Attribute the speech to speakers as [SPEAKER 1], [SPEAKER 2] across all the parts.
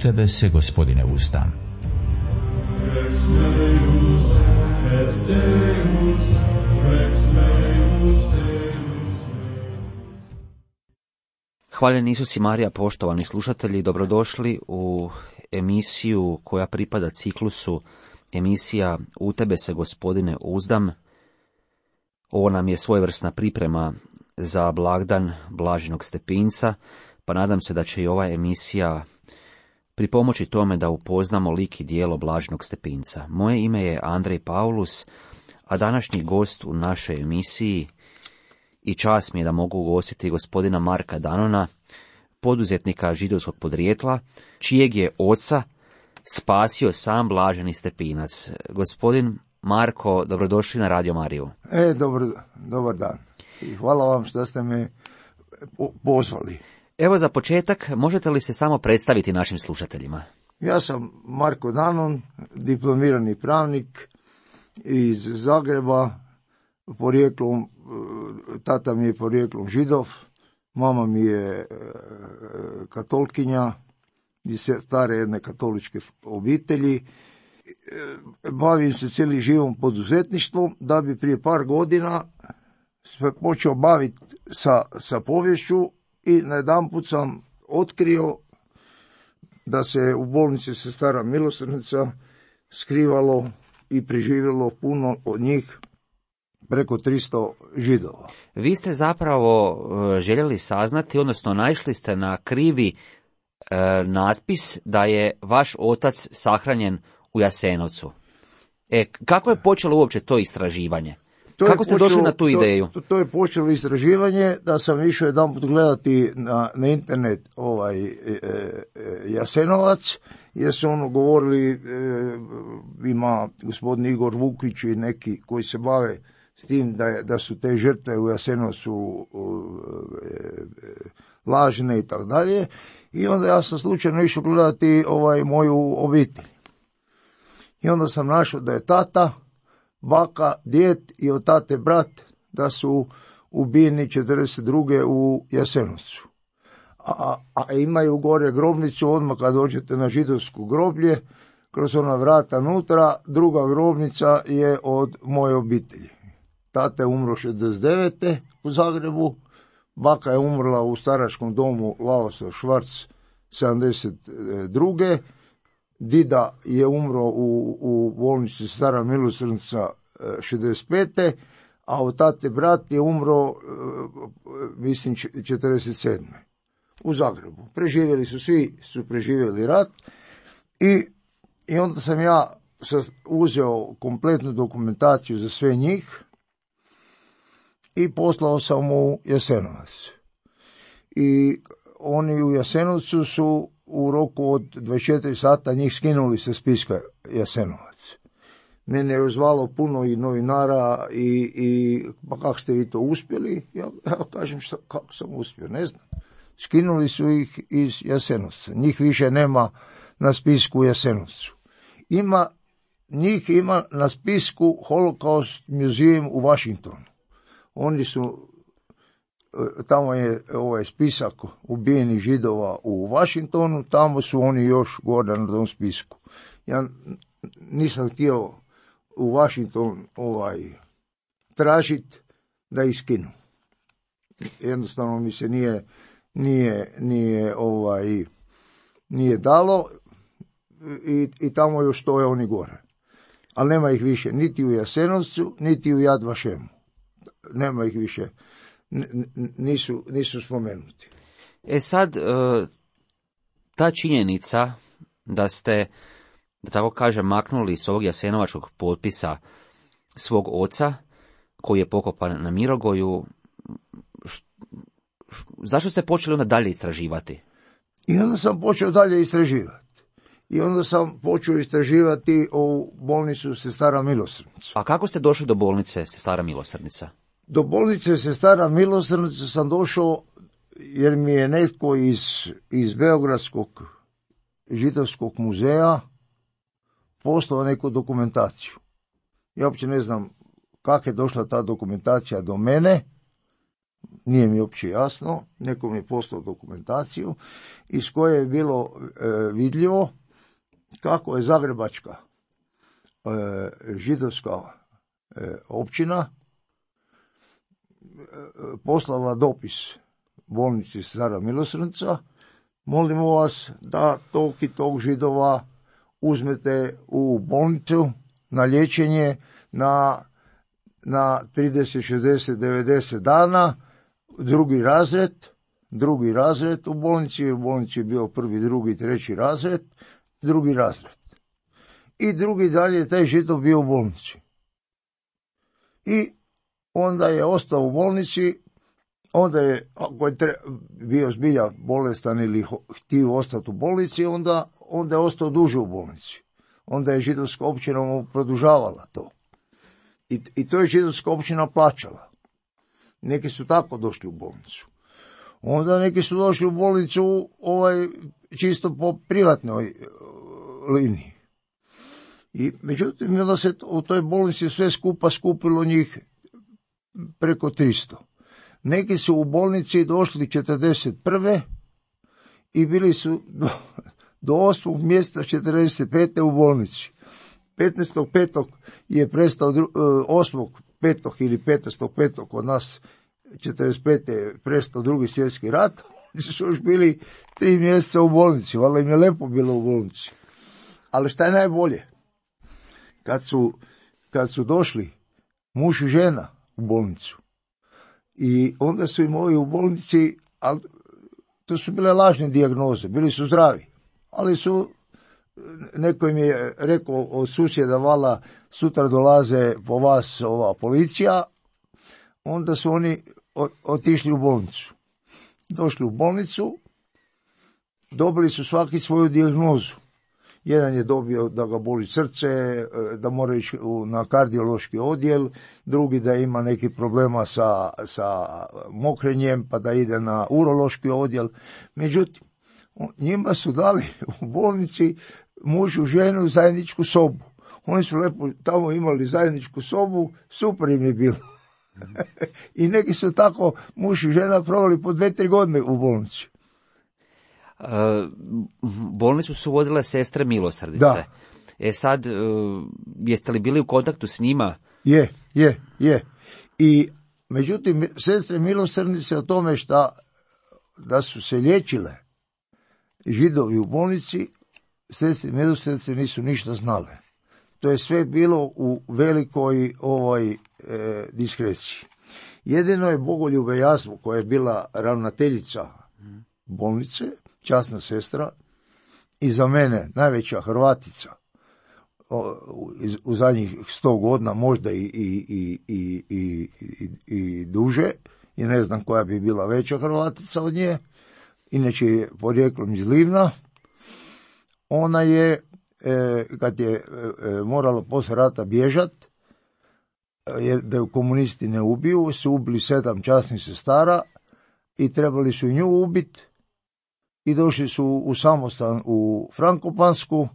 [SPEAKER 1] tebe se, Gospodine, uzdam.
[SPEAKER 2] Rex Deus et Deus, Rex Deus, Deus.
[SPEAKER 3] Hvaljen Isus i Marija, poštovani slušatelji, dobrodošli u emisiju koja pripada ciklusu emisija U tebe se, Gospodine, uzdam. Ovo nam je svojevrsna priprema za blagdan Blaženog Stepinca, pa nadam se da će i ova emisija pripomoći tome da upoznamo lik i djelo Blaženog Stepinca. Moje ime je Andrej Paulus, a današnji gost u našoj emisiji i čast mi je da mogu ugostiti gospodina Marka Danona, poduzetnika židovskog podrijetla, čijeg je oca spasio sam Blaženi Stepinac. Gospodin Marko, dobrodošli na Radio Mariju.
[SPEAKER 4] Dobar dan. I hvala vam što ste me pozvali.
[SPEAKER 3] Evo za početak, možete li se samo predstaviti našim slušateljima?
[SPEAKER 4] Ja sam Marko Danon, diplomirani pravnik iz Zagreba, porijeklom, tata mi je porijeklom Židov, mama mi je katolkinja iz stare jedne katoličke obitelji. Bavim se cijeli živom poduzetništvom, da bi prije par godina se počeo baviti sa poviješću i najedanput sam otkrio da se u bolnici Sestara Milosrdnica skrivalo i preživjelo puno od njih, preko 300 Židova.
[SPEAKER 3] Vi ste zapravo željeli saznati, odnosno naišli ste na krivi natpis da je vaš otac sahranjen u Jasenovcu. Kako je počelo uopće to istraživanje? Kako ste došli na tu ideju?
[SPEAKER 4] To je počelo istraživanje da sam išao jedanput gledati na internet Jasenovac, jer su govorili, ima gospodin Igor Vukić i neki koji se bave s tim da su te žrtve u Jasenovcu lažne i tako dalje. I onda ja sam slučajno išao gledati moju obitelj. I onda sam našao da je tata, baka, djed i od tate brat da su ubijeni 42. u Jasenovcu. A imaju gore grobnicu, odmah kad dođete na židovsku groblje, kroz ona vrata nutra, druga grobnica je od moje obitelji. Tata je umro 69. u Zagrebu, baka je umrla u staračkom domu Lavoslav Švarc 72. Dida je umro u bolnici Stara Milosrdnica 65. a od tate brat je umro, mislim, 47. u Zagrebu. Preživjeli su, svi su preživjeli rat i onda sam ja uzeo kompletnu dokumentaciju za sve njih i poslao sam u Jasenovac. I oni u Jasenovcu su u roku od 24 sata njih skinuli sa spiska Jasenovac. Mene je zvalo puno i novinara i pa kako ste vi to uspjeli? Ja kažem kako sam uspio, ne znam. Skinuli su ih iz Jasenovca. Njih više nema na spisku u Jasenovcu. Njih ima na spisku Holocaust Museum u Washingtonu. Oni su, tamo je ovaj spisak ubijenih Židova u Washingtonu, tamo su oni još gore na tom spisku. Ja nisam htio u Washington tražiti da ih skinu. Jednostavno mi se nije dalo i tamo još stoje oni gore. Ali nema ih više niti u Jasenovcu, niti u Yad Vashemu. Nema ih više, nisu spomenuti.
[SPEAKER 3] Sad, ta činjenica da ste, da tako kažem, maknuli s ovog jasenovačkog potpisa svog oca, koji je pokopan na Mirogoju, zašto ste počeli onda dalje istraživati?
[SPEAKER 4] I onda sam počeo dalje istraživati. I onda sam počeo istraživati o bolnicu Sestara Milosrdnica.
[SPEAKER 3] A kako ste došli do bolnice Sestara Milosrdnica?
[SPEAKER 4] Do bolnice Sestara Milosrdnica sam došao jer mi je netko iz Beogradskog židovskog muzeja poslao neku dokumentaciju. Ja uopće ne znam kako je došla ta dokumentacija do mene. nije mi uopće jasno, neko mi je poslao dokumentaciju iz koje je bilo vidljivo kako je zagrebačka židovska općina poslala dopis bolnici Stara Milosrdnica, molimo vas da tog i tog Židova uzmete u bolnicu na liječenje na 30, 60, 90 dana, drugi razred u bolnici je bio prvi, drugi, treći razred, drugi razred. I drugi dalje taj Židov bio u bolnici. I onda je ostao u bolnici, onda je, ako je bio zbilja bolestan ili htio ostati u bolnici, onda je ostao duže u bolnici. Onda je židovska općina mu produžavala to. I to je židovska općina plaćala. Neki su tako došli u bolnicu. Onda neki su došli u bolnicu čisto po privatnoj liniji. I međutim, onda se u toj bolnici sve skupa skupilo njih preko 300. Neki su u bolnici došli 41. i bili su do 8. mjesta 45. u bolnici. 15.5. je prestao 8.5. ili 15.5. kod nas 45. je prestao Drugi svjetski rat. Oni su još bili 3 mjeseca u bolnici, valjda im je lepo bilo u bolnici. Ali šta je najbolje? Kad su došli muž i žena u bolnicu i onda su im ovi u bolnici, ali to su bile lažne dijagnoze, bili su zdravi, ali neko im je rekao od susjeda, vala sutra dolaze po vas ova policija, onda su oni otišli u bolnicu. Došli u bolnicu, dobili su svaki svoju dijagnozu. Jedan je dobio da ga boli srce, da mora ići na kardiološki odjel, drugi da ima neki problema sa mokrenjem, pa da ide na urološki odjel. Međutim, njima su dali u bolnici mužu ženu zajedničku sobu. Oni su lepo tamo imali zajedničku sobu, super im je bilo. I neki su tako muž i žena proveli po 2-3 godine u bolnici.
[SPEAKER 3] Bolnicu su vodile sestre Milosrdice.
[SPEAKER 4] Da.
[SPEAKER 3] Sad, jeste li bili u kontaktu s njima?
[SPEAKER 4] Je. I međutim, sestre Milosrdnice o tome da su se liječile Židovi u bolnici, sestre Milosrdnice nisu ništa znale. To je sve bilo u velikoj diskreciji. Jedino je Bogoljube Jazvo, koja je bila ravnateljica bolnice, časna sestra, i za mene najveća Hrvatica u zadnjih 100 godina, možda i duže, i ne znam koja bi bila veća Hrvatica od nje, inače je porijeklom iz Livna. Ona je, kad je morala poslije rata bježat, da ju komunisti ne ubiju, su ubili 7 časnih sestara i trebali su nju ubiti i došli su u samostan u Frankopansku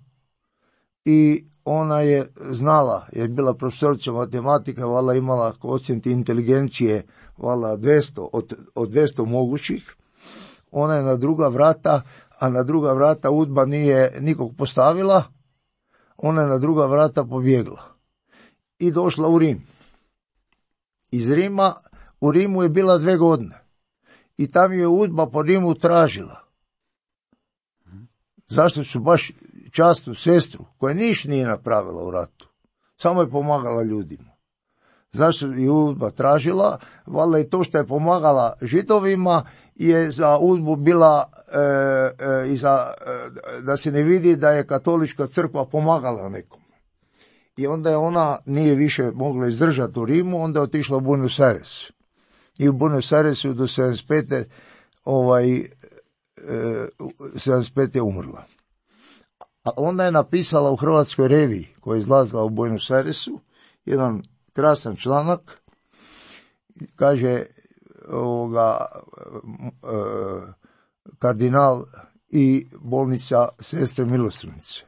[SPEAKER 4] i ona je znala, jer je bila profesorica matematike, valjda imala koeficijent inteligencije, valjda 200, od 200 mogućih. Ona je na druga vrata, a na druga vrata UDBA nije nikog postavila, ona je na druga vrata pobjegla i došla u Rim. Iz Rima, u Rimu je bila 2 godine i tam je UDBA po Rimu tražila. Zašto su baš časnu sestru, koja ništa nije napravila u ratu, samo je pomagala ljudima. Zašto je UDBA tražila? Valjda i to što je pomagala Židovima je za UDBU bila da se ne vidi da je katolička crkva pomagala nekom. I onda je ona nije više mogla izdržati u Rimu, onda je otišla u Buenos Aires. I u Buenos Airesu do 75. 75. je umrla. A onda je napisala u Hrvatskoj reviji, koja je izlazila u Buenos Airesu, jedan krasan članak, kaže kardinal i bolnica sestre Milosrdnice,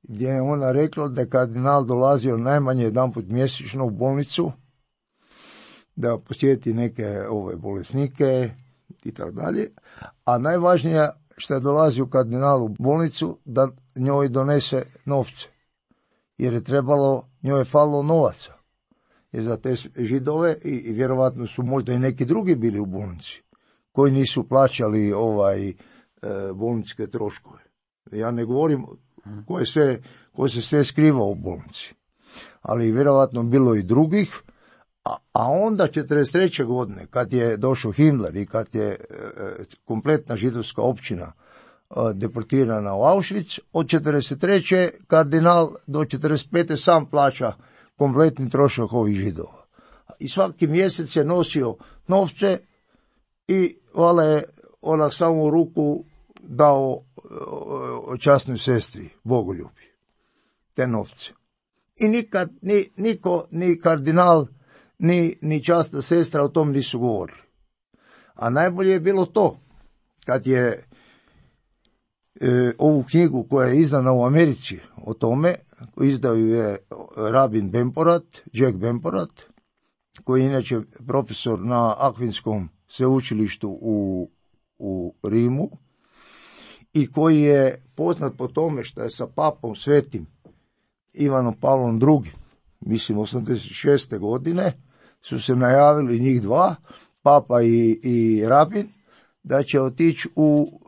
[SPEAKER 4] gdje je ona rekla da je kardinal dolazio najmanje jedanput mjesečno u bolnicu da posjeti neke bolesnike i tako dalje. A najvažnije što dolazi u kardinalu u bolnicu, da njoj donese novce. Jer je trebalo, njoj je falilo novaca. Jer za te Židove i vjerovatno su možda i neki drugi bili u bolnici koji nisu plaćali bolničke troškove. Ja ne govorim ko se sve skrivao u bolnici. Ali vjerovatno bilo i drugih. A onda 1943. godine, kad je došao Himmler i kad je kompletna židovska općina deportirana u Auschwitz, od 1943. kardinal do 1945. sam plaća kompletni trošak ovih Židova. I svaki mjesec je nosio novce i valjda je onak samo u ruku dao časnoj sestri Bogoljubi te novce. I nikad niko, ni kardinal, ni časna sestra o tom nisu govorili. A najbolje je bilo to, kad je ovu knjigu koja je izdana u Americi o tome, izdao je rabin Bemporat, Jack Bemporat, koji je inače profesor na Akvinskom sveučilištu u Rimu i koji je poznat po tome što je sa papom svetim Ivanom Pavlom II, mislim 86. godine, su se najavili njih dva, papa i rabin, da će otići u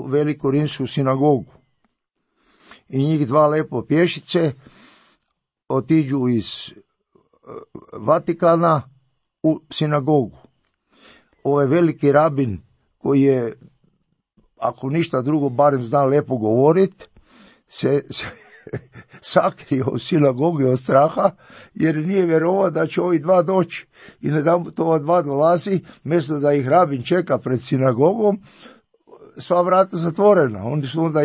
[SPEAKER 4] veliku rimsku sinagogu. I njih dva lepo pješice otiđu iz Vatikana u sinagogu. Ovaj veliki rabin, koji je, ako ništa drugo, barem zna lepo govoriti, se sakrio u sinagogi od straha, jer nije vjerovao da će ovi dva doći. I jedanput ova dva dolazi, mjesto da ih rabin čeka pred sinagogom, sva vrata zatvorena. Oni su onda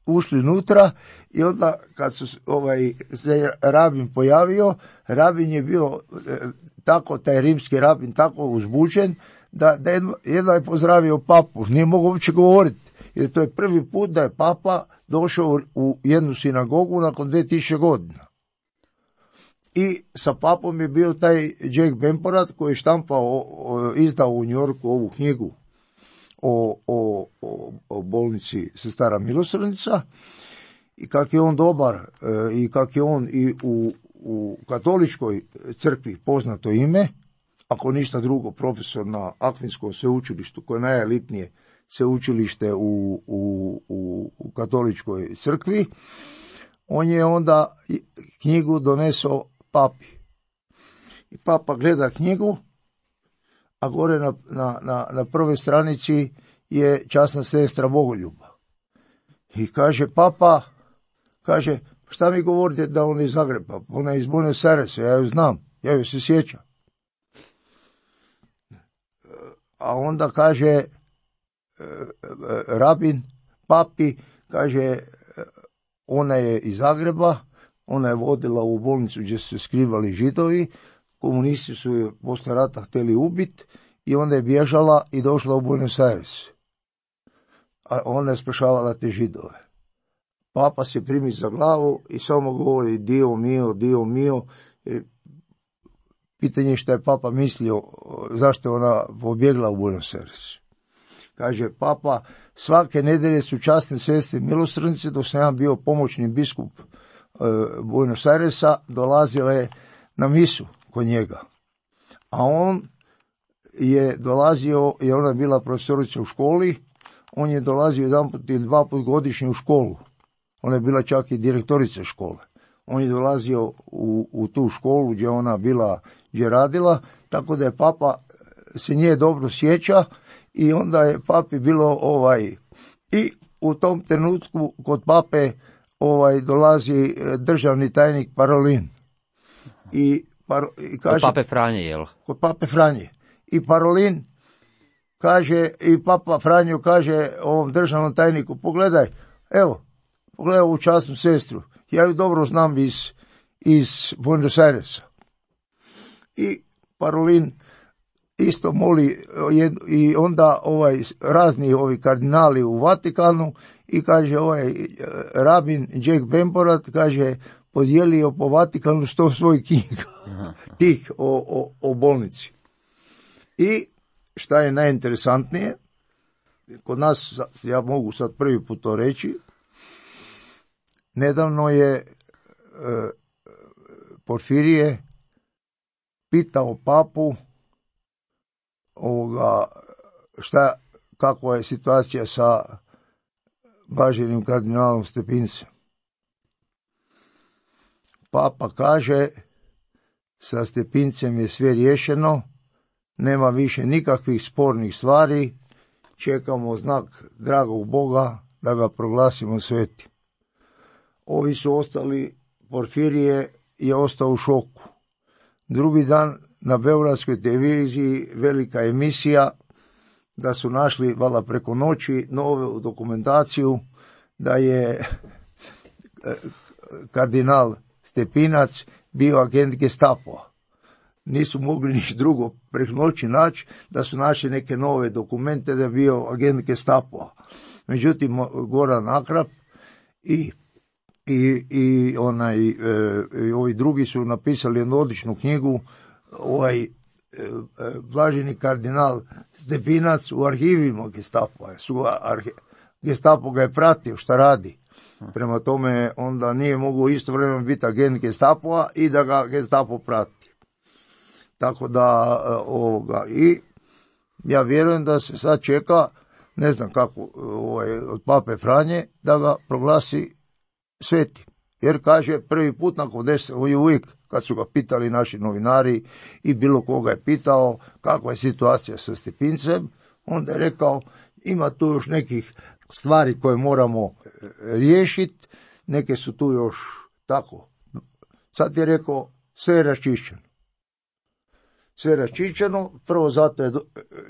[SPEAKER 4] ušli unutra i onda kad se rabin pojavio, rabin je bio tako, taj rimski rabin tako uzbuđen, da jedva je pozdravio papu, nije mogao uopće govoriti. Jer to je prvi put da je papa došao u jednu sinagogu nakon 2000 godina. I sa papom je bio taj Jack Bemporat koji je izdao u New Yorku ovu knjigu o bolnici Sestara milosrdnica i kak je on dobar i kak je on i u katoličkoj crkvi poznato ime, ako ništa drugo profesor na Akvinskom sveučilištu koje je najelitnije sveučilište u katoličkoj crkvi, on je onda knjigu donesao papi. I papa gleda knjigu, a gore na prvoj stranici je časna sestra Bogoljuba. I kaže papa, šta mi govorite da on je iz Zagreba? Ona je iz Buenos Airesa, ja ju znam, ja ju se sjećam. A onda kaže rabin papi, kaže, ona je iz Zagreba, ona je vodila u bolnicu gdje su se skrivali Židovi, komunisti su je posle rata htjeli ubiti i onda je bježala i došla u Buenos Aires. A ona je spašavala te Židove. Papa se primi za glavu i samo govori Dio mio. Pitanje je šta je papa mislio, zašto je ona pobjegla u Buenos Aires. Kaže papa, svake nedelje su časne sestre milosrdnice, dok sam ja bio pomoćni biskup Buenos Airesa, dolazile na misu kod njega. A on je dolazio, jer ona je bila profesorica u školi, on je dolazio jedanput ili dva put godišnje u školu. Ona je bila čak i direktorica škole. On je dolazio u tu školu gdje ona bila, gdje radila, tako da je papa se nje dobro sjeća i onda je papi bilo i u tom trenutku kod pape dolazi državni tajnik Parolin. I kaže,
[SPEAKER 3] kod pape Franje, jel?
[SPEAKER 4] Kod pape Franje. I Parolin kaže, i papa Franjo kaže ovom državnom tajniku, pogledaj ovu časnu sestru, ja ju dobro znam iz Buenos Airesa. I Parolin isto moli i onda razni ovi kardinali u Vatikanu i kaže rabin Jack Bemporat, kaže, podijelio po Vatikanu 100 svojih knjiga, tih o bolnici. I šta je najinteresantnije, kod nas, ja mogu sad prvi put to reći, nedavno je Porfirije pitao papu kakva je situacija sa blaženim kardinalom Stepincem. Papa kaže, sa Stepincem je sve riješeno, nema više nikakvih spornih stvari, čekamo znak dragog Boga da ga proglasimo svetim. Ovi su ostali, Porfirije je ostao u šoku. Drugi dan na beogradskoj televiziji velika emisija da su našli, valjda preko noći, novu dokumentaciju da je kardinal Stepinac bio agent Gestapoa. Nisu mogli niš drugo preko noći naći, da su našli neke nove dokumente da je bio agent Gestapoa. Međutim, Goran Akrap i ovi drugi su napisali jednu odličnu knjigu, blaženi kardinal Stepinac u arhivima Gestapoa. Gestapo ga je pratio šta radi. Prema tome onda nije mogao istovremeno biti agent Gestapoa i da ga Gestapo prati. Tako da i ja vjerujem da se sad čeka, ne znam kako, od Pape Franje da ga proglasi sveti. Jer kaže, prvi put nakon 10, uvijek kad su ga pitali naši novinari i bilo koga je pitao kakva je situacija sa Stepincem, onda je rekao, ima tu još nekih stvari koje moramo riješiti, neke su tu još tako. Sad je rekao, sve je raščišćeno. Sve je raščišćeno, prvo zato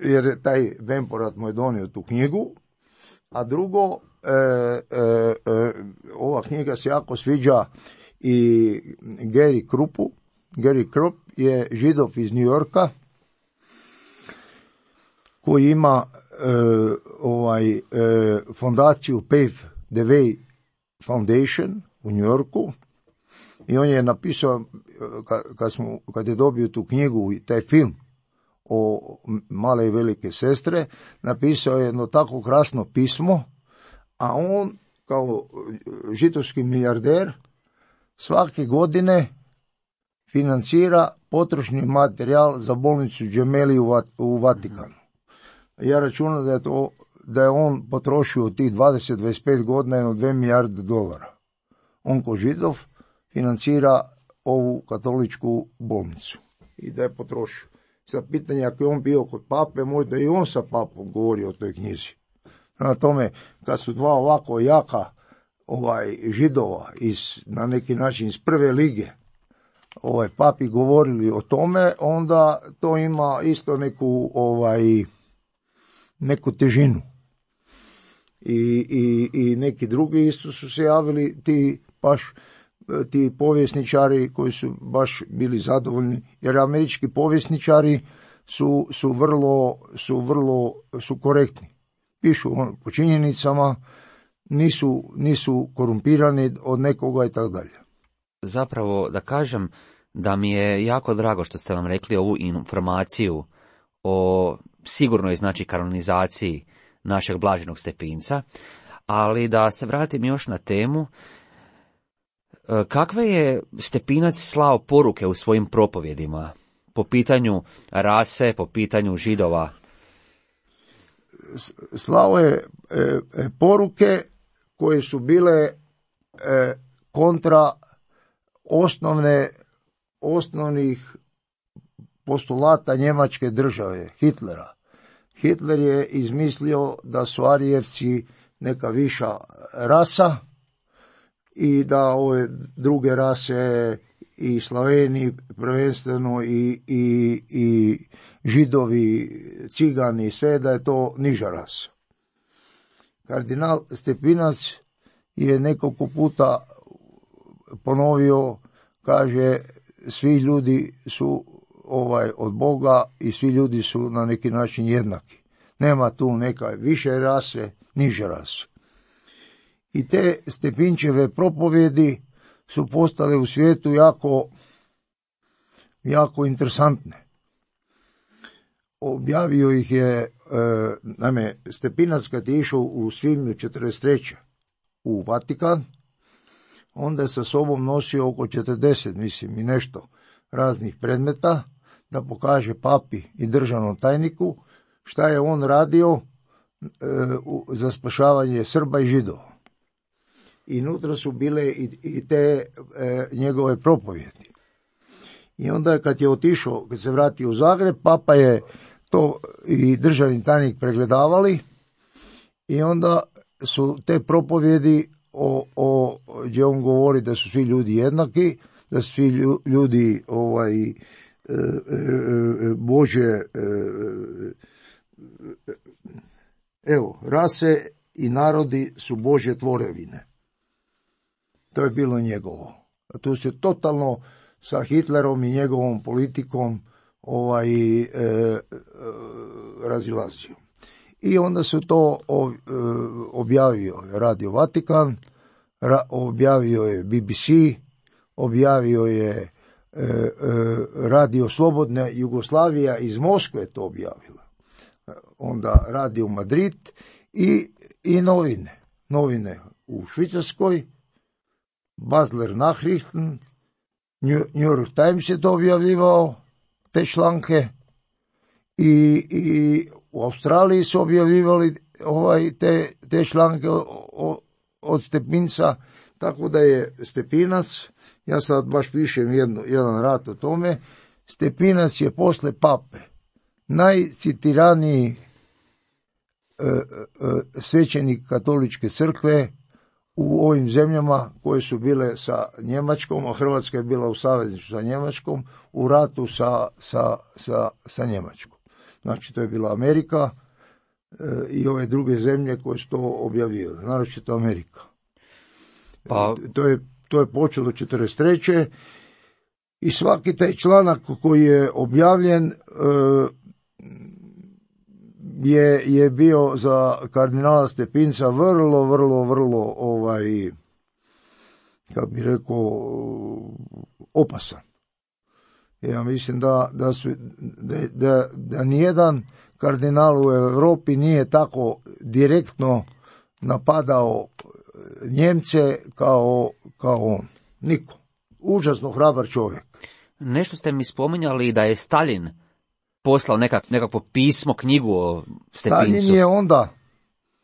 [SPEAKER 4] jer je taj Vemporat mu je donio tu knjigu, a drugo, ova knjiga se jako sviđa i Gary Kruppu. Gary Krupp je Židov iz New Yorka koji ima fondaciju Pave the Way Foundation u New Yorku i on je napisao, kad je dobio tu knjigu i taj film o Male i velike sestre, napisao je jedno tako krasno pismo, a on kao židovski milijarder svake godine financira potrošni materijal za bolnicu Gemelli u Vatikanu. Ja računam da je on potrošio tih 20-25 godina jedno $2 milijarde. On ko Židov financira ovu katoličku bolnicu i da je potrošio. Sad pitanje, ako je on bio kod pape, možda i on sa papom govorio o toj knjizi. Prema tome, kad su dva ovako jaka Židova na neki način iz prve lige papi govorili o tome, onda to ima isto neku težinu. I neki drugi isto su se javili, ti povjesničari koji su baš bili zadovoljni, jer američki povjesničari su korektni. Pišu po činjenicama, nisu korumpirani od nekoga i tako dalje.
[SPEAKER 3] Zapravo da kažem da mi je jako drago što ste nam rekli ovu informaciju o sigurnoj kanonizaciji našeg blaženog Stepinca, ali da se vratim još na temu. Kakve je Stepinac slao poruke u svojim propovjedima po pitanju rase, po pitanju Židova?
[SPEAKER 4] Slao je poruke koje su bile kontra osnovnih postulata njemačke države, Hitlera. Hitler je izmislio da su Arijevci neka viša rasa i da ove druge rase i Slaveni prvenstveno i Židovi, Cigani, sve da je to niža rasa. Kardinal Stepinac je nekoliko puta ponovio, kaže, svi ljudi su od Boga i svi ljudi su na neki način jednaki. Nema tu neka više rase, niže rase. I te Stepinčeve propovjedi su postale u svijetu jako interesantne. Objavio ih je, naime, Stepinac kad je išao u svibnju 43. u Vatikan, onda je sa sobom nosio oko 40, mislim, i nešto raznih predmeta, da pokaže papi i državnom tajniku šta je on radio za spašavanje Srba i Židova. I unutra su bile i te njegove propovjedi. I onda kad je otišao, kad se vratio u Zagreb, papa je to i državni tajnik pregledavali i onda su te propovjedi gdje on govori da su svi ljudi jednaki, da su svi ljudi Bože, rase i narodi su Božje tvorevine. To je bilo njegovo. Tu se totalno sa Hitlerom i njegovom politikom razilazio. I onda su to objavio Radio Vatikan, objavio je BBC, objavio je Radio Slobodna Jugoslavija iz Moskve to objavila. Onda Radio Madrid i novine u Švicarskoj, Basler Nachrichten, New York Times je to objavljivao, te članke, i u Australiji su objavljivali te članke od Stepinca, tako da je Stepinac, ja sad baš pišem jedan rad o tome, Stepinac je posle pape najcitiraniji svećenik katoličke crkve u ovim zemljama koje su bile sa Njemačkom, a Hrvatska je bila u savezništvu sa Njemačkom, u ratu sa Njemačkom. Znači, to je bila Amerika i ove druge zemlje koje su to objavile, naročito Amerika.
[SPEAKER 3] Pa...
[SPEAKER 4] To je počelo 43. I svaki taj članak koji je objavljen je bio za kardinala Stepinca vrlo kako bi rekao, opasan. Ja mislim da nijedan kardinal u Europi nije tako direktno napadao Njemce kao on. Niko. Užasno hrabar čovjek.
[SPEAKER 3] Nešto ste mi spominjali da je Stalin poslao nekakvo pismo, knjigu o Stepincu.
[SPEAKER 4] Stalin je onda,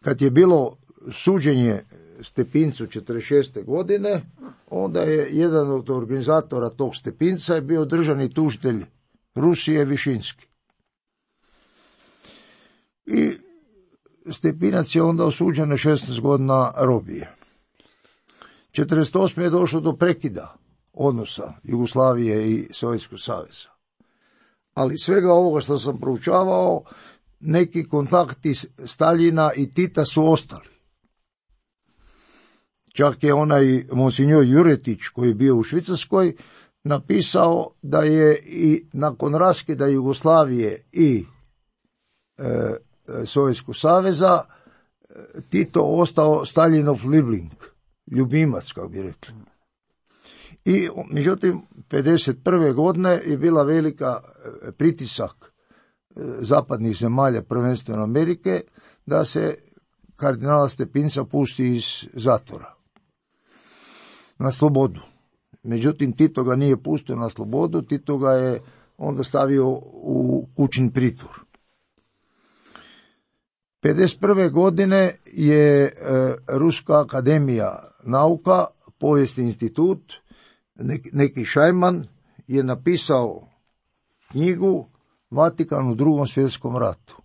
[SPEAKER 4] kad je bilo suđenje Stepincu 46. godine, onda je jedan od organizatora tog Stepinca je bio državni tužitelj Rusije Višinski. I Stepinac je onda osuđen na 16 godina robije. 48. je došlo do prekida odnosa Jugoslavije i Sovjetskog saveza. Ali svega ovoga što sam proučavao, neki kontakti Staljina i Tita su ostali. Čak je onaj monsinjor Juretić, koji je bio u Švicarskoj, napisao da je i nakon raskida Jugoslavije i Sovjetskog saveza Tito ostao Staljinov Liebling, ljubimac, kako bi rekli. I međutim, 51. godine je bila velika pritisak zapadnih zemalja, prvenstveno Amerike, da se kardinala Stepinca pusti iz zatvora na slobodu. Međutim, Tito ga nije pustio na slobodu, Tito ga je onda stavio u kućni pritvor. 51. godine je Ruska akademija nauka, povijesni institut, neki šajman je napisao knjigu Vatikan u Drugom svjetskom ratu.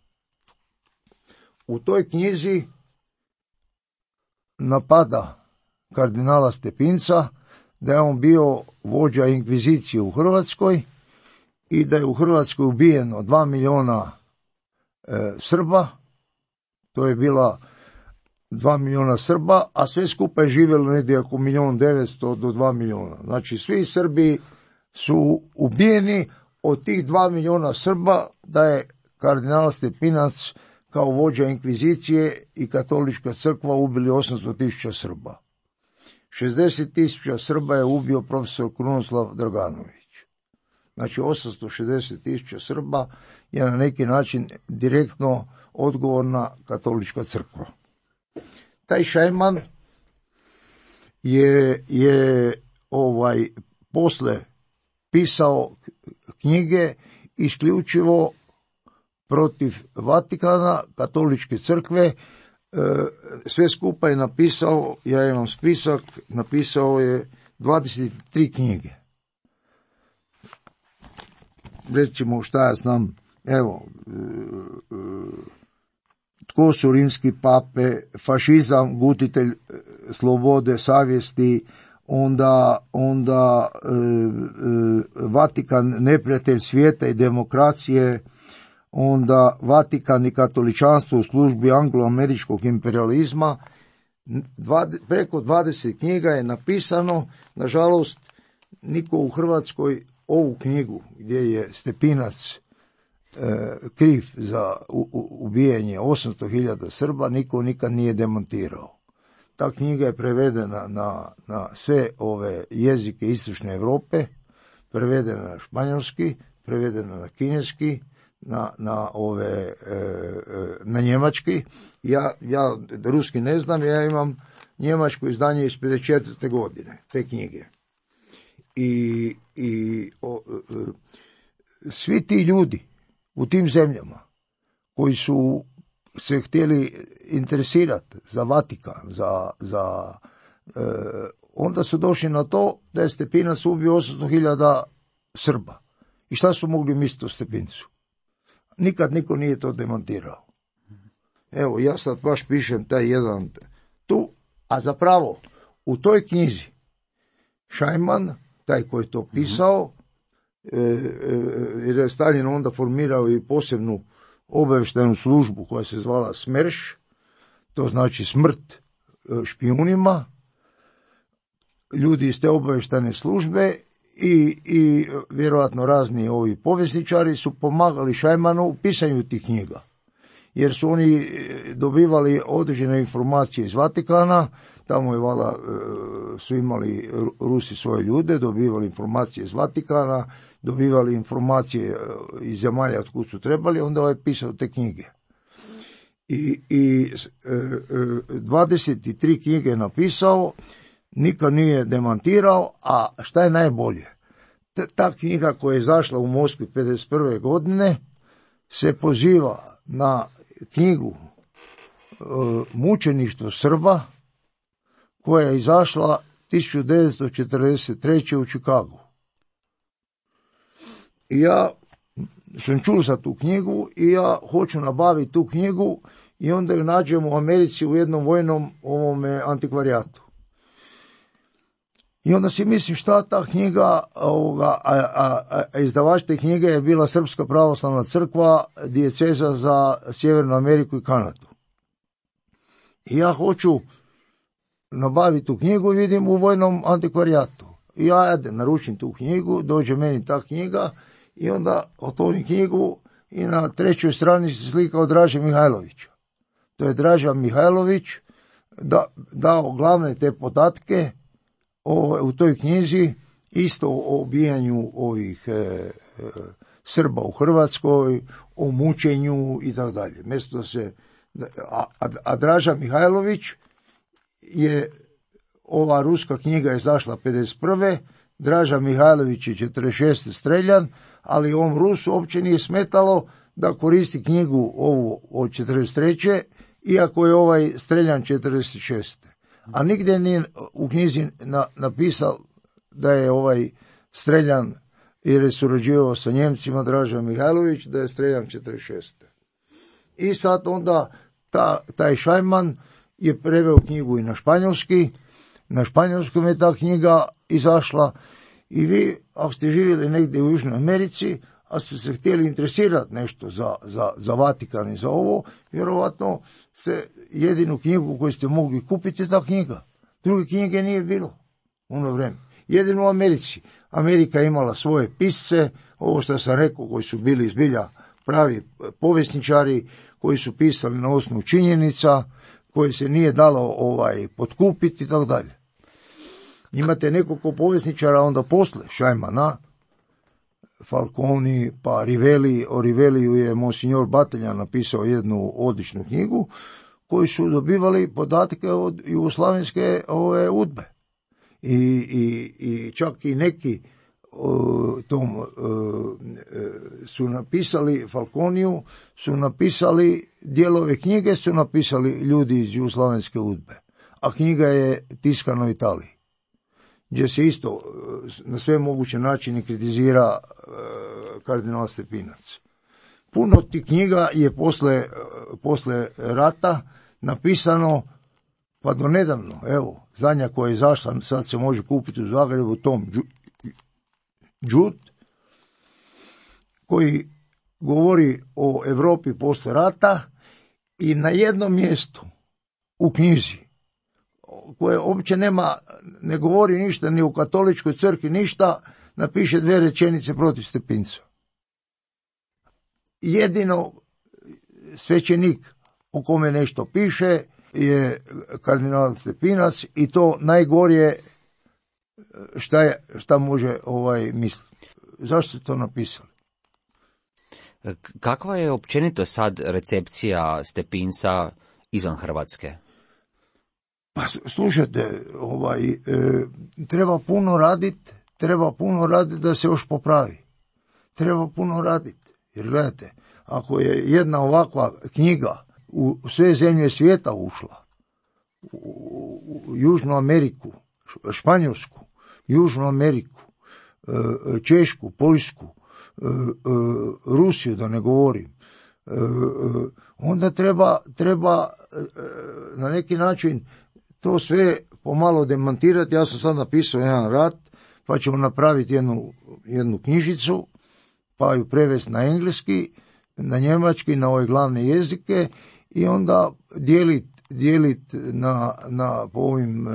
[SPEAKER 4] U toj knjizi napada kardinala Stepinca da je on bio vođa inkvizicije u Hrvatskoj i da je u Hrvatskoj ubijeno 2 milijuna Srba, to je bila 2 milijuna Srba, a sve skupa je živjelo negdje oko 1.900.000 do 2 milijuna. Znači, svi Srbi su ubijeni, od tih 2 milijuna Srba da je kardinal Stepinac kao vođa inkvizicije i katolička crkva ubili 800.000 Srba. 60.000 Srba je ubio profesor Krunoslav Draganović. Znači 860.000 Srba je na neki način direktno odgovorna katolička crkva. Taj Šajman je posle pisao knjige isključivo protiv Vatikana, katoličke crkve. Sve skupa je napisao, ja imam spisak, napisao je 23 knjige. Recimo šta ja znam, evo, tko su rimski pape, fašizam, gutitelj slobode, savjesti, onda Vatikan, neprijatelj svijeta i demokracije, onda Vatikan i katoličanstvo u službi anglo-američkog imperializma. Preko 20 knjiga je napisano. Nažalost, niko u Hrvatskoj ovu knjigu gdje je Stepinac kriv za ubijanje 800.000 Srba, niko nikad nije demontirao. Ta knjiga je prevedena na sve ove jezike istočne Europe, prevedena na španjolski, prevedena na kineski, na njemački. Ja ruski ne znam, ja imam njemačko izdanje iz 54. godine, te knjige. I svi ti ljudi u tim zemljama koji su se htjeli interesirati za Vatikan, onda su došli na to da je Stepinac ubio 800.000 Srba. I šta su mogli misliti o Stepincu? Nikad niko nije to demontirao. Evo, ja sad baš pišem taj jedan tu, a zapravo u toj knjizi Šajman, taj koji je to pisao, jer je Stalin onda formirao i posebnu obavještajnu službu koja se zvala SMERŠ, to znači smrt špijunima, ljudi iz te obavještajne službe i vjerojatno razni ovi povjesničari su pomagali Šajmanu u pisanju tih knjiga, jer su oni dobivali određene informacije iz Vatikana, tamo je valjda su imali Rusi svoje ljude, dobivali informacije iz Vatikana, dobivali informacije iz zemalja od kud su trebali, onda je pisao te knjige. I 23 knjige je napisao, nikad nije demantirao, a šta je najbolje? Ta knjiga koja je izašla u Moskvi 51. godine se poziva na knjigu Mučeništvo Srba koja je izašla 1943. u Čikagu. I ja sam čuo za tu knjigu i ja hoću nabaviti tu knjigu i onda ju nađem u Americi u jednom vojnom antikvarijatu. I onda si mislim šta ta knjiga, izdavač te knjige je bila Srpska pravoslavna crkva, dijeceza za Sjevernu Ameriku i Kanadu. I ja hoću nabaviti tu knjigu i vidim u vojnom antikvarijatu. I ja naručim tu knjigu, dođe meni ta knjiga i onda otvorim knjigu i na 3. strani se slika od Draže Mihajlovića. To je Draža Mihajlović dao glavne te podatke u toj knjizi, isto o ubijanju ovih Srba u Hrvatskoj, o mučenju i tako dalje. A Draža Mihajlović je, ova ruska knjiga je izašla 51. Draža Mihajlović je 46. streljan, ali ovom Rusu uopće nije smetalo da koristi knjigu ovu od 43. iako je ovaj streljan 46. A nigdje nije u knjizi napisao da je ovaj streljan jer je surađivao sa Njemcima Draža Mihajlović, da je streljan 46. I sad onda taj Šajman je preveo knjigu i na španjolski, na španjolskom je ta knjiga izašla i vi, ako ste živjeli negdje u Južnoj Americi, a ste se htjeli interesirati nešto za Vatikan i za ovo, vjerovatno ste jedinu knjigu koju ste mogli kupiti je ta knjiga. Druge knjige nije bilo u ono vrijeme. Jedino u Americi. Amerika je imala svoje pisce, ovo što sam rekao, koji su bili zbilja pravi povjesničari, koji su pisali na osnovu činjenica, koje se nije dalo potkupiti i tako dalje. Imate nekoliko povjesničara onda posle Šajmana, Falconi, pa Rivelli. O Rivelliju je monsignor Bateljan napisao jednu odličnu knjigu, koji su dobivali podatke od jugoslavenske udbe. I čak i neki su napisali Falconiju, su napisali dijelove knjige, su napisali ljudi iz jugoslavenske udbe. A knjiga je tiskana u Italiji, gdje se isto na sve moguće načine kritizira kardinal Stepinac. Puno tih knjiga je posle rata napisano, pa do nedavno, evo, zadnja koja je izašla, sad se može kupiti u Zagrebu, Tom Đut, koji govori o Europi posle rata i na jednom mjestu u knjizi, koje uopće ne govori ništa, ni u katoličkoj crkvi ništa, napiše 2 rečenice protiv Stepinca. Jedino svećenik o kome nešto piše je kardinal Stepinac i to najgorije šta može misliti. Zašto ste to napisali?
[SPEAKER 3] Kakva je općenito sad recepcija Stepinca izvan Hrvatske?
[SPEAKER 4] Pa slušajte, treba puno raditi da se još popravi. Treba puno raditi. Jer gledajte, ako je jedna ovakva knjiga u sve zemlje svijeta ušla, u Južnu Ameriku, Španjolsku, Južnu Ameriku, Češku, Poljsku, Rusiju, da ne govorim, onda treba na neki način to sve pomalo demantirati. Ja sam sad napisao jedan rad, pa ćemo napraviti jednu knjižicu, pa ju prevesti na engleski, na njemački, na ove glavne jezike i onda dijelit po ovim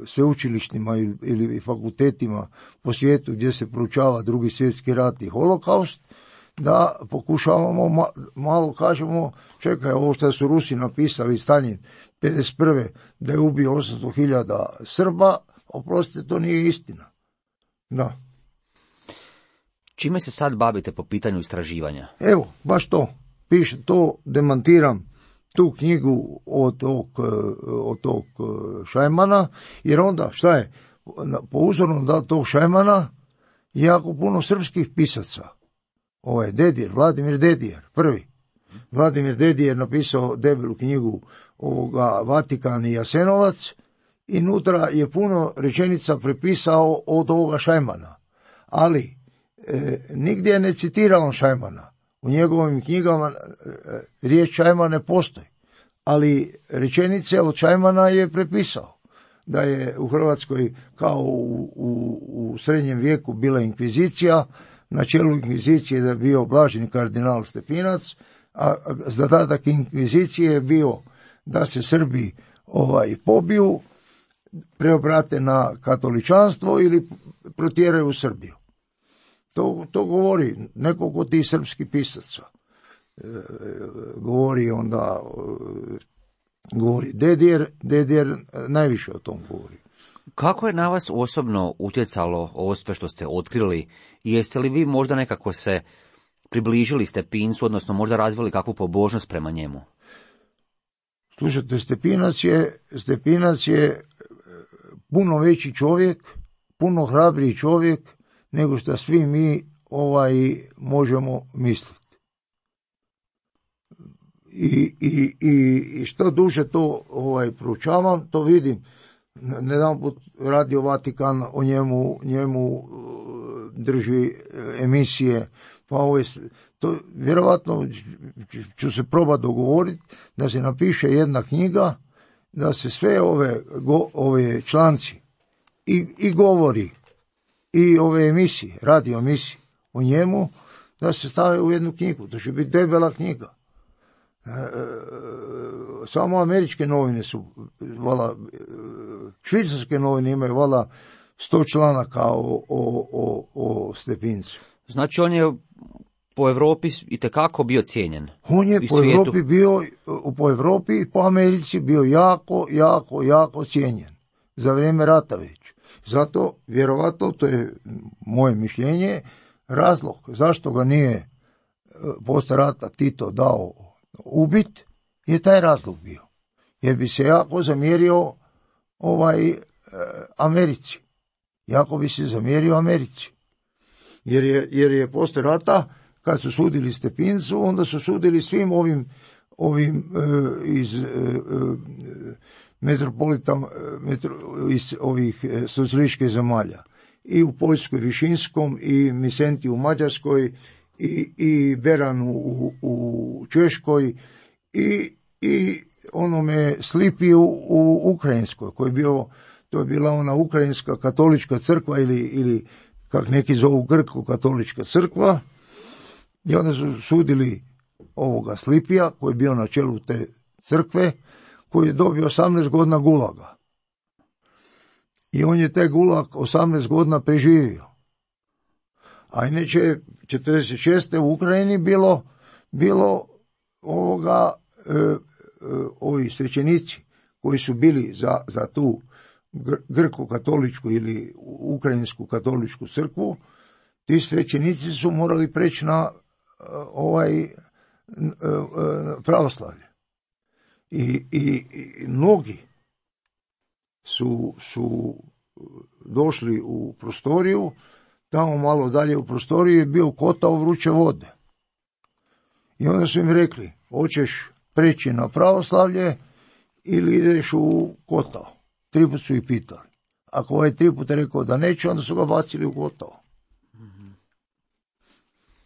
[SPEAKER 4] sveučilištima ili fakultetima po svijetu gdje se proučava Drugi svjetski rat i holokaust, da pokušavamo malo kažemo, čekaj, ovo što su Rusi napisali Staljin 51. da je ubio 800.000 Srba, oprostite, to nije istina. Da.
[SPEAKER 3] Čime se sad bavite po pitanju istraživanja?
[SPEAKER 4] Evo, baš to. Piše to, demantiram tu knjigu od tog Šajmana, jer onda, šta je, po uzoru da tog Šajmana je jako puno srpskih pisaca. Vladimir Dedijer, prvi. Vladimir Dedijer napisao debelu knjigu Vatikan i Jasenovac i nutra je puno rečenica prepisao od ovoga Šajmana. Ali nigdje ne citirao Šajmana. U njegovim knjigama riječ Šajman ne postoji, ali rečenice od Šajmana je prepisao. Da je u Hrvatskoj kao u srednjem vijeku bila inkvizicija, na čelu inkvizicije da je bio blaženi kardinal Stepinac, a zadatak inkvizicije je bio da se Srbi pobiju, preobrate na katoličanstvo ili protjeraju u Srbiju. To govori nekoliko tih srpskih pisaca. Govori Dedijer najviše o tom govori.
[SPEAKER 3] Kako je na vas osobno utjecalo ovo sve što ste otkrili i jeste li vi možda nekako se približili Stepincu, odnosno možda razvili kakvu pobožnost prema njemu?
[SPEAKER 4] Slušajte, Stepinac je puno veći čovjek, puno hrabriji čovjek nego što svi mi možemo misliti. I što duže to proučavam, to vidim. Nedanput Radio Vatikan o njemu drži emisije, pa to vjerovatno ću se probati dogovoriti da se napiše jedna knjiga, da se sve ove članci i govori i ove emisije, radio emisije o njemu, da se stave u jednu knjigu. To će biti debela knjiga. Samo američke novine su, švicarske novine imaju 100 članaka o Stepincu.
[SPEAKER 3] Znači on je po Europi itekako bio cijenjen.
[SPEAKER 4] On je po Europi i po Americi bio jako cijenjen. za vrijeme rata već. Zato, vjerovatno, to je moje mišljenje, razlog zašto ga nije posle rata Tito dao ubit, je taj razlog bio. Jer bi se jako zamjerio Americi. Jako bi se zamjerio Americi. Jer je posle rata, kad su sudili Stepincu, onda su sudili svim ovim iz iz ovih socijalističkih zemalja. I u Poljskoj Višinskom, i Misenti u Mađarskoj, i Beranu u Češkoj, i onome Slipiju u Ukrajinskoj, to je bila ona Ukrajinska katolička crkva ili kak neki zovu Grko-katolička crkva, i onda su sudili ovoga Slipija, koji je bio na čelu te crkve, koji je dobio 18 godina gulaga. I on je taj gulag 18 godina preživio. A inače 46. u Ukrajini bilo ovi svećenici koji su bili za tu grko-katoličku ili ukrajinsku katoličku crkvu, ti svećenici su morali preći na pravoslavlje. I mnogi su došli u prostoriju, tamo malo dalje u prostoriji je bio kotao vruće vode. I onda su im rekli, hoćeš preći na pravoslavlje ili ideš u kotao. 3 put su ih pitali. Ako ovaj 3 puta rekao da neće, onda su ga bacili u kotao.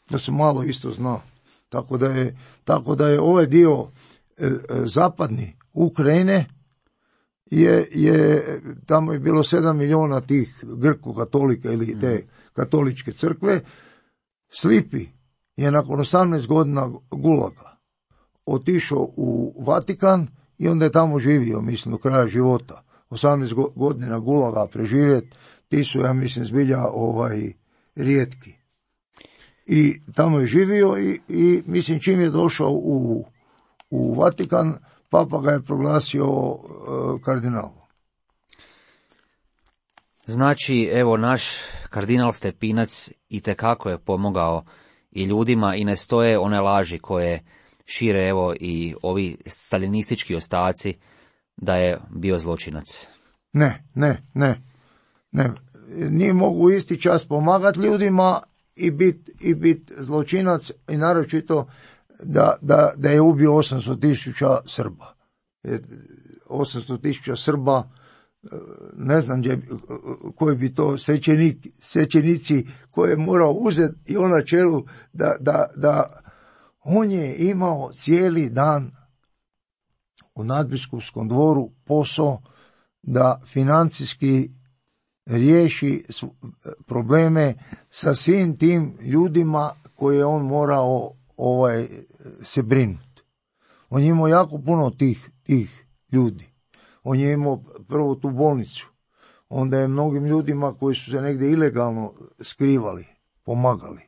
[SPEAKER 4] Da se malo isto zna. Tako da je ovaj dio zapadni Ukrajine tamo je bilo 7 miliona tih grko-katolika ili te katoličke crkve. Slipi je nakon 18 godina gulaga otišao u Vatikan i onda je tamo živio, mislim, do kraja života. 18 godina gulaga preživjeti, ti su, ja mislim, zbilja rijetki. I tamo je živio i mislim, čim je došao u Vatikan, papa ga je proglasio kardinalom.
[SPEAKER 3] Znači, evo, naš kardinal Stepinac itekako je pomogao i ljudima, i ne stoje one laži koje šire, evo, i ovi staljinistički ostaci da je bio zločinac.
[SPEAKER 4] Ne. Nije mogu isti čas pomagati ljudima i bit zločinac, i naročito da je ubio 800.000 Srba. 800.000 Srba, ne znam koji bi to svećenici koje je morao uzeti i on na čelu da on je imao cijeli dan u nadbiskupskom dvoru posao da financijski riješi probleme sa svim tim ljudima koje je on morao se brinuti. On je imao jako puno tih ljudi. On je imao prvo tu bolnicu, onda je mnogim ljudima koji su se negdje ilegalno skrivali, pomagali.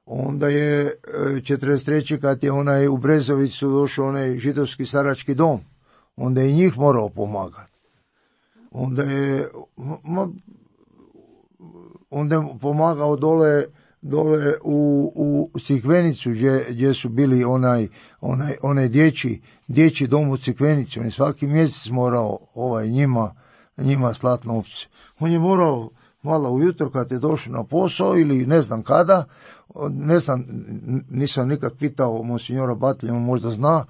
[SPEAKER 4] Onda je 43. kad je onaj u Brezovicu došao onaj židovski starački dom, onda je njih morao pomagati. Onda je pomagao dole u Crikvenicu gdje su bili onaj dječji dom u Crikvenici. On je svaki mjesec morao njima slati novce. On je morao malo ujutro kad je došao na posao ili ne znam kada, nisam nikad pitao monsignora Batlja, on možda zna,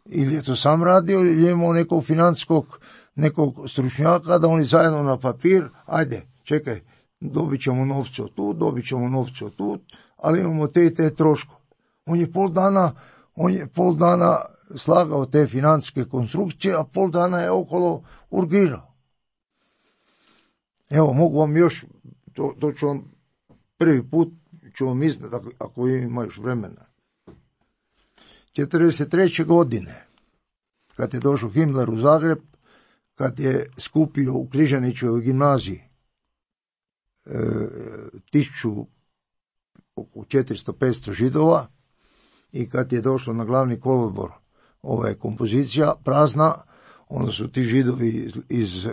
[SPEAKER 4] ili je to sam radio ili je imao nekog financijskog nekog stručnjaka da oni zajedno na papir, ajde, čekaj, dobit ćemo novce od tu, ali imamo te troškove. On je pol dana slagao te financijske konstrukcije, a pol dana je okolo urgirao. Evo, mogu vam još, to ću vam prvi put ću vam iznati ako ima još vremena. 43. godine, kad je došao Himmler u Zagreb, kad je skupio u Križanićevoj gimnaziji 400-500 Židova i kad je došlo na glavni kolodvor kompozicija prazna, onda su ti Židovi iz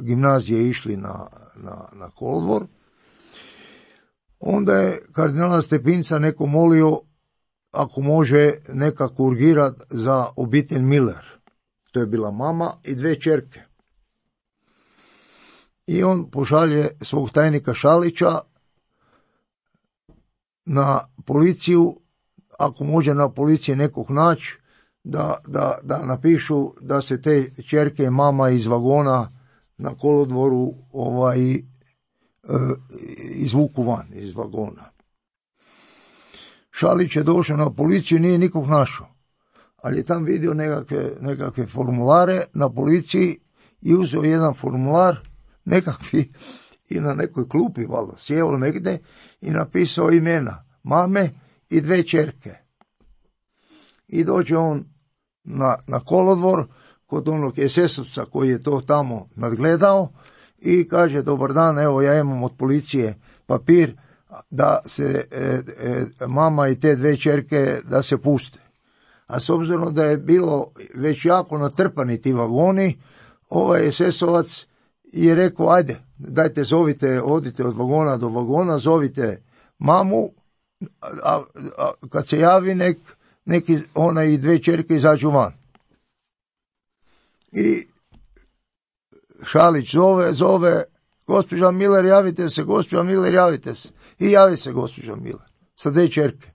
[SPEAKER 4] gimnazije išli na kolodvor. Onda je kardinala Stepinca neko molio ako može nekako urgirati za obitelj Miller. To je bila mama i 2 ćerke. I on pošalje svog tajnika Šalića na policiju, ako može na policiji nekog naći, da napišu da se te ćerke mama iz vagona na kolodvoru izvuku van iz vagona. Šalić je došao na policiju, nije nikog našao, ali je tam vidio nekakve formulare na policiji i uzeo jedan formular nekakvi i na nekoj klupi valjda sjeo negdje i napisao imena mame i 2 ćerke. I dođe on na kolodvor kod onog SS-ovca koji je to tamo nadgledao i kaže: dobar dan, evo ja imam od policije papir da se mama i te 2 ćerke da se puste. A s obzirom da je bilo već jako natrpani ti vagoni, ovaj SS-ovac je rekao: ajde, dajte zovite, odite od vagona do vagona, zovite mamu, a kad se javi neki ona i 2 ćerke izađu van. I Šalić zove: gospođa Miller, javite se, gospođa Miller, javite se. I javi se gospođa Miller sa 2 ćerke.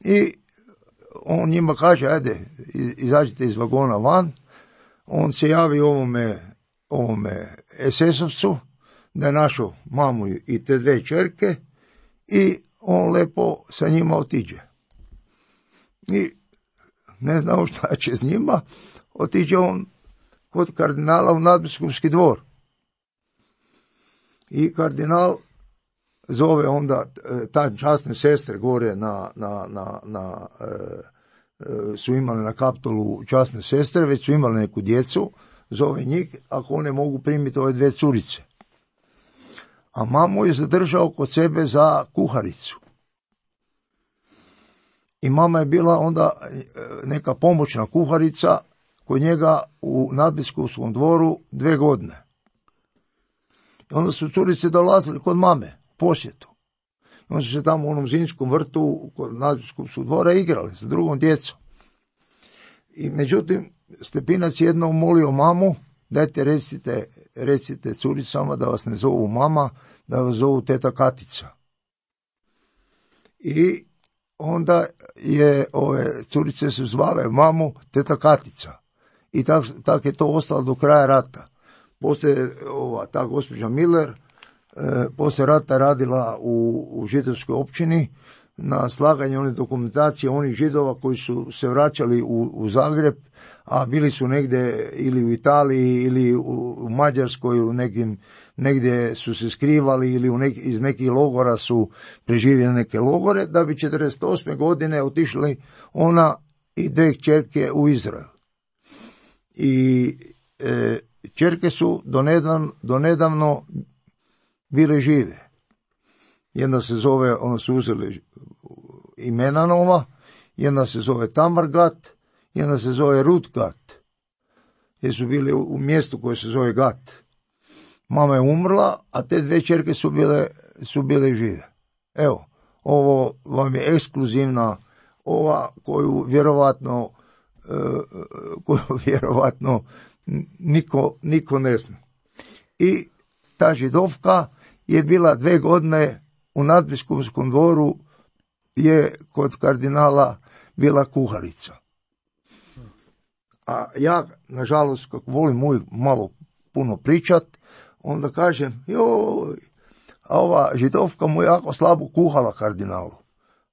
[SPEAKER 4] I on njima kaže: ajde, izađite iz vagona van. On se javi ovome SS-ovcu da je našao mamu i te 2 ćerke i on lepo sa njima otiđe. I ne znamo šta će s njima, otiđe on kod kardinala u nadbiskupski dvor. I kardinal zove onda ta časne sestre gore su imali na Kaptolu časne sestre, već su imali neku djecu, zove njih ako one mogu primiti ove 2 curice. A mamu je zadržao kod sebe za kuharicu. I mama je bila onda neka pomoćna kuharica kod njega u nadbiskupskom dvoru 2 godine. I onda su curice dolazili kod mame, posjetu. I onda su se tamo u onom zimskom vrtu kod nadbiskupskog dvora igrali sa drugom djecom. I međutim, Stepinac jednom molio mamu: dajte recite curicama da vas ne zovu mama, da vas zovu teta Katica. I onda je ove curice su zvale mamu teta Katica. I tak je to ostalo do kraja rata. Poslije ta gospođa Miller poslije rata radila u židovskoj općini na slaganju one dokumentacije onih Židova koji su se vraćali u Zagreb, a bili su negdje ili u Italiji ili u Mađarskoj, negdje su se skrivali ili iz nekih logora su preživjeli neke logore, da bi 48. godine otišli ona i 2 kćerke u Izrael. I kćerke su donedavno bile žive. Jedna se zove, ona su uzeli imena nova, jedna se zove Tamar Gat, jedna se zove Rut Gat, jer su bili u mjestu koje se zove Gat. Mama je umrla, a te 2 ćerke su bile žive. Evo, ovo vam je ekskluzivna, ova koju vjerovatno niko ne zna. I ta Židovka je bila 2 godine u nadbiskupskom dvoru, je kod kardinala bila kuharica. A ja, nažalost, kako volim uvijek malo puno pričat, onda kažem: joj, a ova Židovka mu jako slabo kuhala kardinalu.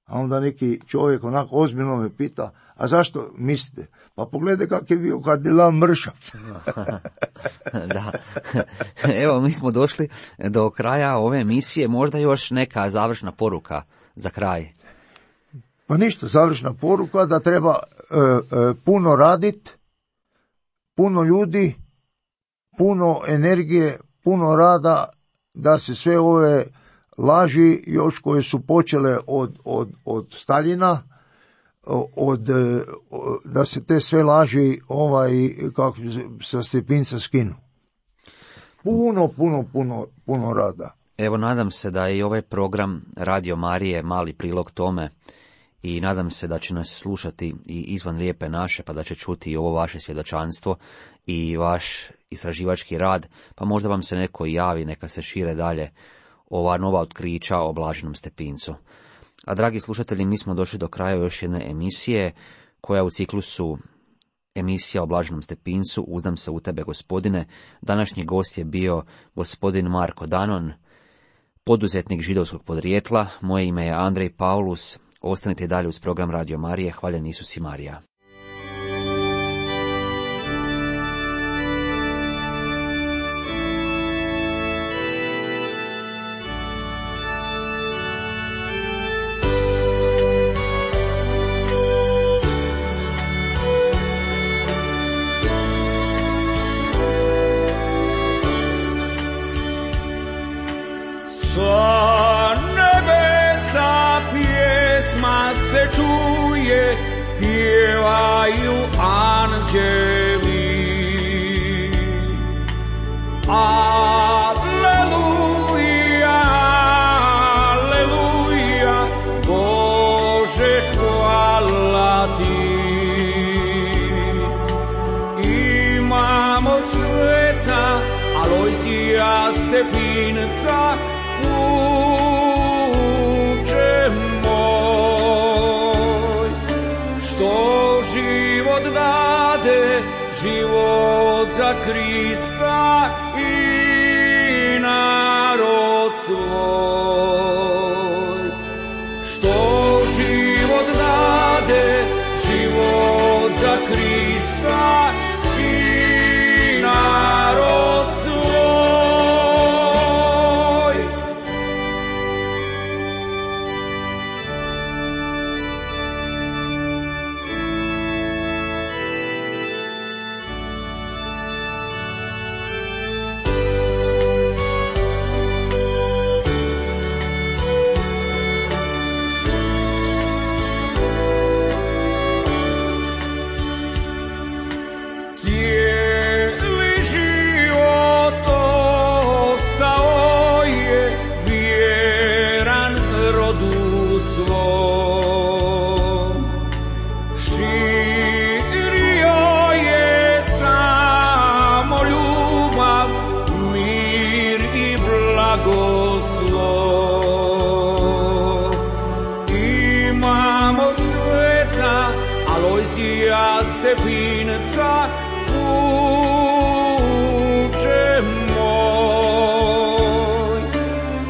[SPEAKER 4] A onda neki čovjek onako ozbiljno me pita: a zašto mislite? Pa pogledaj kak je bio kardinal mršav.
[SPEAKER 3] Da. Evo, mi smo došli do kraja ove emisije. Možda još neka završna poruka za kraj.
[SPEAKER 4] Pa ništa, završna poruka da treba puno raditi, puno ljudi, puno energije, puno rada, da se sve ove laži još koje su počele od Staljina da se te sve laži kako sa Stepinca skinu. Puno rada.
[SPEAKER 3] Evo, nadam se da je i ovaj program Radio Marije mali prilog tome i nadam se da će nas slušati i izvan Lijepe naše, pa da će čuti i ovo vaše svjedočanstvo i vaš istraživački rad, pa možda vam se neko javi, neka se šire dalje ova nova otkrića o Blaženom Stepincu. A dragi slušatelji, mi smo došli do kraja još jedne emisije, koja u ciklusu emisija o Blaženom Stepincu, Uzdam se u tebe, Gospodine. Današnji gost je bio gospodin Marko Danon, poduzetnik židovskog podrijetla. Moje ime je Andrej Paulus. Ostanite dalje uz program Radio Marije. Hvaljen Isus i Marija.
[SPEAKER 5] Sa nebesa pjesma se čuje, pjevaju anđeli. Aleluja, aleluja, Bože, hvala ti. Imamo sveca Alojsija Stepinca, Uče moj, što život dade, život za Krista i narod svoj. Što život dade, život za Krista i narod svoj. Stepinca, Uče moj,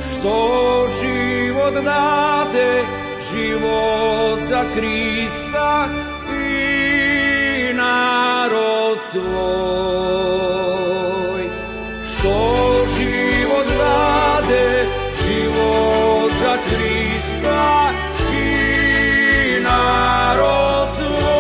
[SPEAKER 5] što život dade, život za Krista i narod svoj. Što život dade, život za Krista i narod svoj.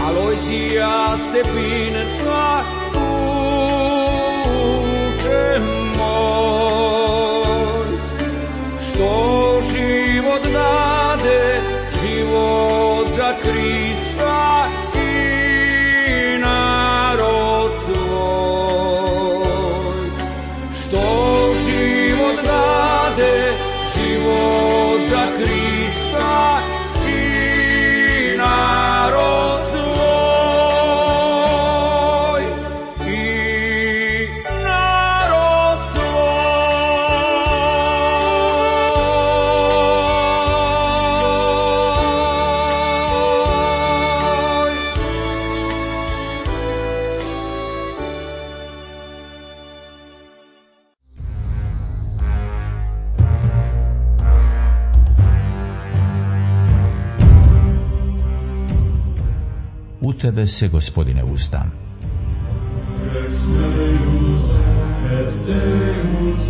[SPEAKER 5] Alojsija Stepinca, Uče moj, što život dade, život za Krista i narod svoj. Što život dade, život za Krista i narod svoj.
[SPEAKER 1] U tebe se, Gospodine, uzdam.
[SPEAKER 2] Rex meus et Deus,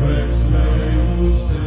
[SPEAKER 2] Rex meus Deus.